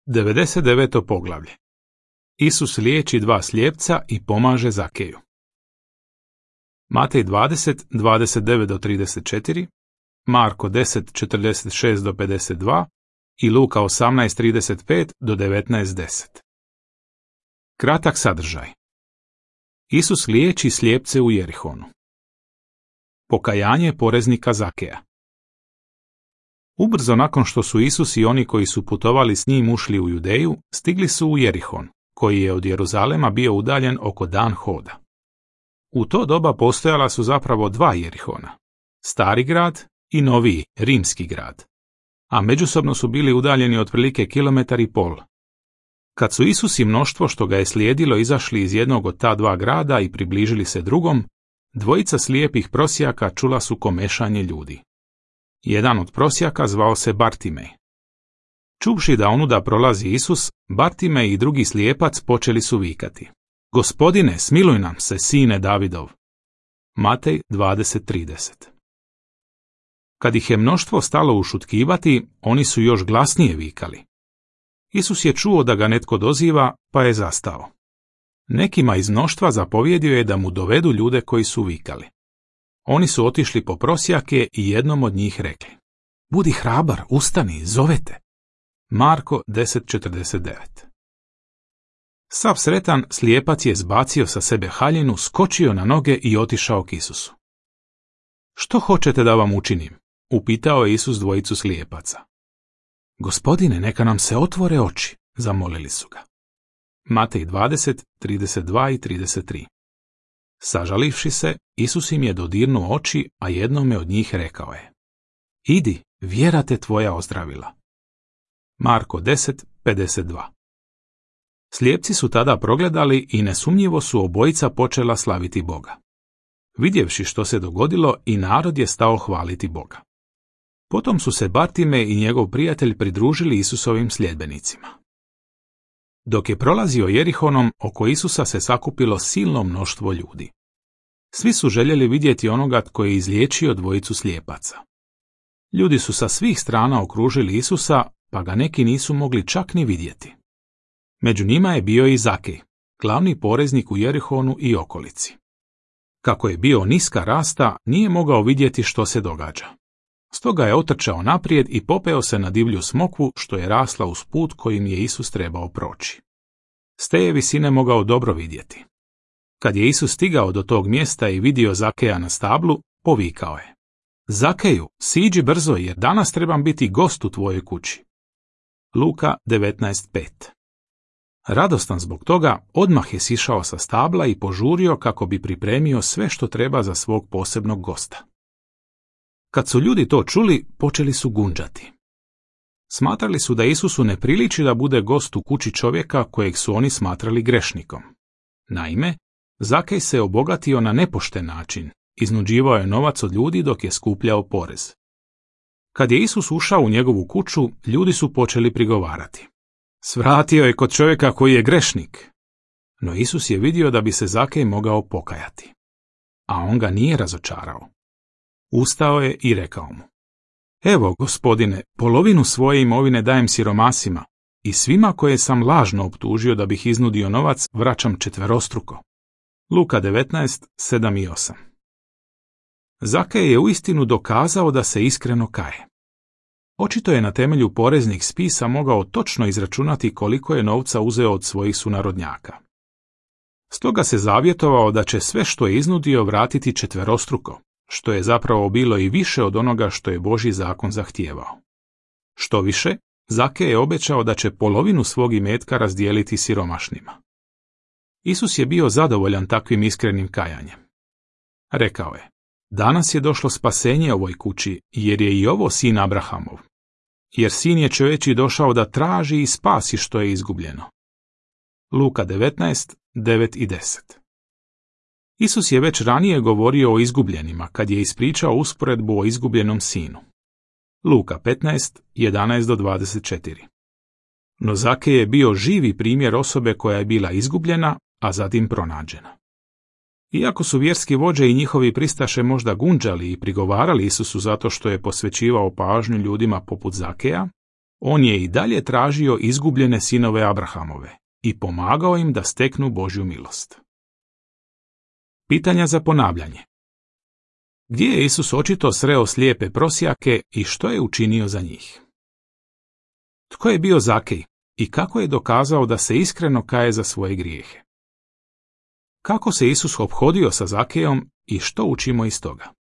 99. poglavlje. Isus liječi dva slijepca i pomaže Zakeju. Matej 20, 29-34, Marko 10, 46-52 i Luka 18, 35-19:10. Kratak sadržaj. Isus liječi slijepce u Jerihonu. Pokajanje poreznika Zakeja. Ubrzo nakon što su Isus i oni koji su putovali s njim ušli u Judeju, stigli su u Jerihon, koji je od Jeruzalema bio udaljen oko dan hoda. U to doba postojala su zapravo dva Jerihona, stari grad i noviji, rimski grad, a međusobno su bili udaljeni otprilike 1,5 km. Kad su Isus i mnoštvo što ga je slijedilo izašli iz jednog od ta dva grada i približili se drugom, dvojica slijepih prosjaka čula su komešanje ljudi. Jedan od prosjaka zvao se Bartimej. Čuvši da onuda prolazi Isus, Bartimej i drugi slijepac počeli su vikati: Gospodine, smiluj nam se, sine Davidov. Matej 20:30. Kad ih je mnoštvo stalo ušutkivati, oni su još glasnije vikali. Isus je čuo da ga netko doziva, pa je zastao. Nekima iz mnoštva zapovjedio je da mu dovedu ljude koji su vikali. Oni su otišli po prosjake i jednom od njih rekli: Budi hrabar, ustani, zovete. Marko 10:49. Sav sretan, slijepac je zbacio sa sebe haljinu, skočio na noge i otišao k Isusu. Što hoćete da vam učinim? Upitao je Isus dvojicu slijepaca. Gospodine, neka nam se otvore oči, zamolili su ga. Matej 20, 32 i 33. Sažalivši se, Isus im je dodirnuo oči, a jednome od njih rekao je: Idi, vjera te tvoja ozdravila. Marko 10, 52. Slijepci su tada progledali i nesumnjivo su obojica počela slaviti Boga. Vidjevši što se dogodilo, i narod je stao hvaliti Boga. Potom su se Bartimej i njegov prijatelj pridružili Isusovim sljedbenicima. Dok je prolazio Jerihonom, oko Isusa se sakupilo silno mnoštvo ljudi. Svi su željeli vidjeti onoga tko je izliječio dvojicu slijepaca. Ljudi su sa svih strana okružili Isusa, pa ga neki nisu mogli čak ni vidjeti. Među njima je bio i Zakej, glavni poreznik u Jerihonu i okolici. Kako je bio niska rasta, nije mogao vidjeti što se događa. Stoga je otrčao naprijed i popeo se na divlju smokvu što je rasla uz put kojim je Isus trebao proći. S te je visine mogao dobro vidjeti. Kad je Isus stigao do tog mjesta i vidio Zakeja na stablu, povikao je: Zakeju, siđi brzo jer danas trebam biti gost u tvojoj kući. Luka 19:5. Radostan zbog toga, odmah je sišao sa stabla i požurio kako bi pripremio sve što treba za svog posebnog gosta. Kad su ljudi to čuli, počeli su gunđati. Smatrali su da Isusu ne priliči da bude gost u kući čovjeka kojeg su oni smatrali grešnikom. Naime, Zakej se obogatio na nepošten način, iznuđivao je novac od ljudi dok je skupljao porez. Kad je Isus ušao u njegovu kuću, ljudi su počeli prigovarati: Svratio je kod čovjeka koji je grešnik. No Isus je vidio da bi se Zakej mogao pokajati. A on ga nije razočarao. Ustao je i rekao mu: Evo, gospodine, polovinu svoje imovine dajem siromasima i svima koje sam lažno optužio da bih iznudio novac vraćam četverostruko. Luka 19, 7 i 8. Zakej je uistinu dokazao da se iskreno kaje. Očito je na temelju poreznih spisa mogao točno izračunati koliko je novca uzeo od svojih sunarodnjaka. Stoga se zavjetovao da će sve što je iznudio vratiti četverostruko, što je zapravo bilo i više od onoga što je Božji zakon zahtijevao. Što više, Zakej je obećao da će polovinu svog imetka razdijeliti siromašnima. Isus je bio zadovoljan takvim iskrenim kajanjem. Rekao je: Danas je došlo spasenje ovoj kući, jer je i ovo sin Abrahamov. Jer sin je čovječji došao da traži i spasi što je izgubljeno. Luka 19, 9 i 10. Isus je već ranije govorio o izgubljenima kad je ispričao usporedbu o izgubljenom sinu. Luka 15, 11-24. No Zakej je bio živi primjer osobe koja je bila izgubljena, a zatim pronađena. Iako su vjerski vođe i njihovi pristaše možda gunđali i prigovarali Isusu zato što je posvećivao pažnju ljudima poput Zakeja, on je i dalje tražio izgubljene sinove Abrahamove i pomagao im da steknu Božju milost. Pitanja za ponavljanje. Gdje je Isus očito sreo slijepe prosjake i što je učinio za njih? Tko je bio Zakej i kako je dokazao da se iskreno kaje za svoje grijehe? Kako se Isus ophodio sa Zakejom i što učimo iz toga?